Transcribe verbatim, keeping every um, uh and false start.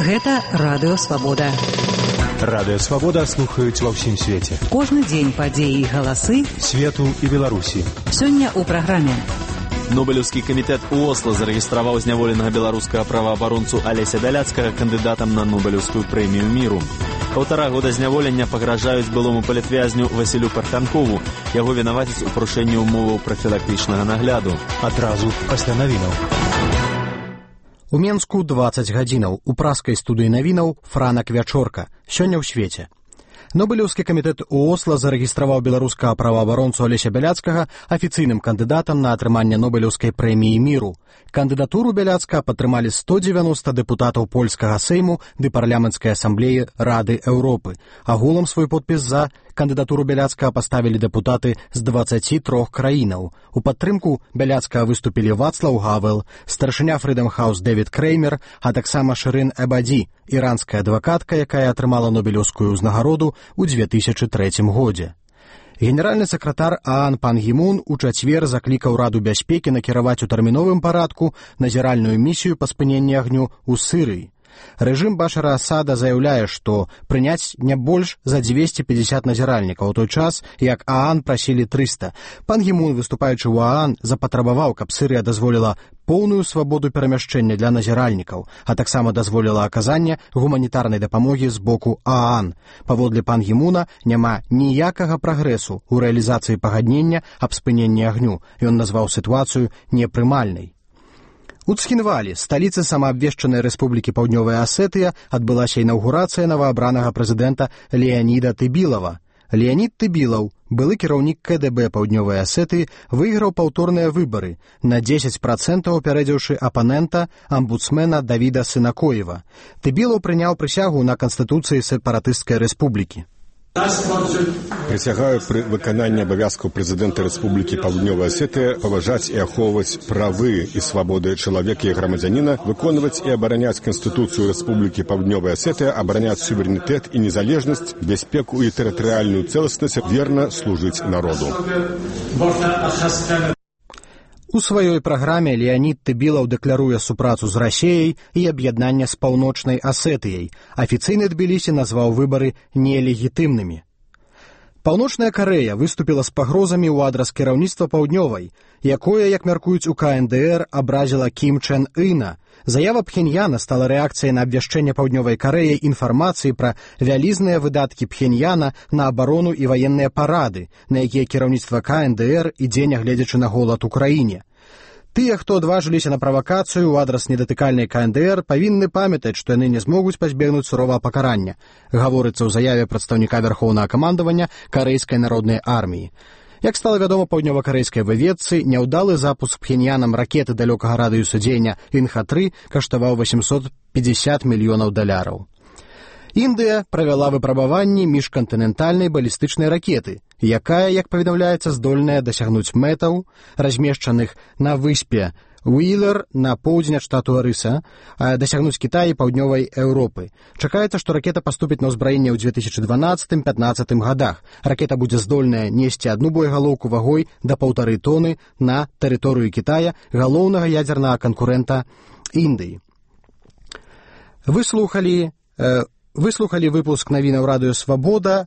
Гэта Радыё Свабода. Радыё Свабода слухаюць ва ўсім свеце. Кожны дзень падзеі і галасы свету і Беларусі. Сёння ў праграме. Нобелеўскі камітэт у Осла зарэгістраваў зняволенага беларускага праваабаронцу Алеся Бяляцкага кандыдатам на Нобелеўскую прэмію міру. Паўтара года зняволення пагражаюць былому палітвязню Васілю Парфянкову. Яго вінавацяць у парушэнні ўмоваў прафілактычнага нагляду. Адразу пасля навінаў. У Менску дваццаць гадзінаў. У праскай студыі навінаў Франак Вячорка. Сёння ў свеце. Нобелеўскі камітэт у Осла зарэгістраваў беларускага праваабаронцу Алеся Бяляцкага афіцыйным кандыдатам на атрыманне Нобелеўскай прэміі міру. Кандыдатуру Бяляцкага падтрымалі сто дзевяноста дэпутатаў польскага сейму ды парламенцкай асамблеі Рады Еўропы. Агулам свой подпіс за кандыдатуру Бяляцкага паставілі дэпутаты з дваццаці трох краінаў. У падтрымку Бяляцкага выступілі Вацлаў Гавел, старшыня Freedom House Дэвід Креймер, а таксама Шырын Эбаді, іранская адвакатка, якая атрымала Нобелеўскую ўзнагароду ў дзве тысячы трэцім годзе. Генеральны сакратар ААН Пан Гі Мун у чацвер заклікаў Раду бяспекі накіраваць у тэрміновым парадку назіральную місію па спыненні агню ў Сірыі. Рэжым Башара Асада заяўляе, што прыняць не больш за дзвесце пятьдесят назіральнікаў, у той час, як ААН прасілі трыста. Пан Гі Мун, выступаючы ў ААН, запатрабаваў, каб Сірыя дазволіла поўную свабоду перамяшчэння для назіральнікаў, а таксама дазволіла аказанне гуманітарнай дапамогі з боку ААН. Паводле Пан Гі Муна няма ніякага прагрэсу ў рэалізацыі пагаднення аб спыненні агню. Ён назваў сітуацыю непрымальнай. У Цхінвалі, сталіцы самаабвешчанай Рэспублікі Паўднёвая Асетыя, адбылася інаўгурацыя новаабранага прэзідэнта Леаніда Тыбілава. Леанід Тыбілаў, былы кіраўнік Ка Дэ Бэ Паўднёвай Асетыі, выйграў паўторныя выбары, на дзесяць працэнтаў апярэдзіўшы апанента амбудсмена Давіда Сынакоева. Тыбілаў прыняў прысягу на Канстытуцыі сепаратысцкай рэспублікі. Присягаю при выканании обовязков президента Республики Паўднёвая Асетия поважать и аховывать правы и свободы человека и громадянина, выконывать и оборонять Конституцию Республики Паўднёвая Асетия, оборонять суверенитет и незалежность, бяспеку и территориальную целостность, верно служить народу. У сваёй праграме Леанід Тыбілаў дэкларуе супрацу з Расеяй і аб'яднанне з Паўночнай Асетыяй. Афіцыйны Тбілісі назваў выбары нелегітымнымі. Паўночная Карэя выступіла з пагрозамі ў адрас кіраўніцтва Паўднёвай, якое, як мяркуюць у Ка Эн Дэ Эр, абразіла Кім Чэн Іна. Заява Пхеньяна стала рэакцыяй на абвяшчэнне Паўднёвай Карэі інфармацыі пра вялізныя выдаткі Пхеньяна на абарону і ваенныя парады, на якія кіраўніцтва Ка Эн Дэ Эр ідзе, нягледзячы на голад у краіне. Тыя, хто адважыліся на правакацыю ў адрас недатыкальнай Ка Эн Дэ Эр, павінны памятаць, што яны не змогуць пазбегнуць суровага пакарання, гаворыцца ў заяве прадстаўніка вярхоўнага камандавання Карэйскай народнай арміі. Як стала вядома паўднёва-карэйскай выведцы, няўдалы запуск Пхеньянам ракеты далёкага радыуса дзеяння Ін Ха тры каштаваў восемьсот пятьдесят мільёнаў даляраў. Індыя правяла выпрабаванні міжкантынентальнай балістычнай ракеты, якая, як паведамляецца, здольная дасягнуць мэтаў, размешчаных на выспе Уілер на поўдзень ад штату Арыса, дасягнуць Кітая і паўднёвай Еўропы. Чакаецца, што ракета паступіць на ўзбраенне ў две тысячы дванаццатым — пятнаццатым гадах. Ракета будзе здольная несці адну боегалоўку вагой да паўтары тоны на тэрыторыю Кітая, галоўнага ядзернага канкурэнта Індыі. Выслухалі... Э, Выслухалі выпуск навінаў Радыё Свабода.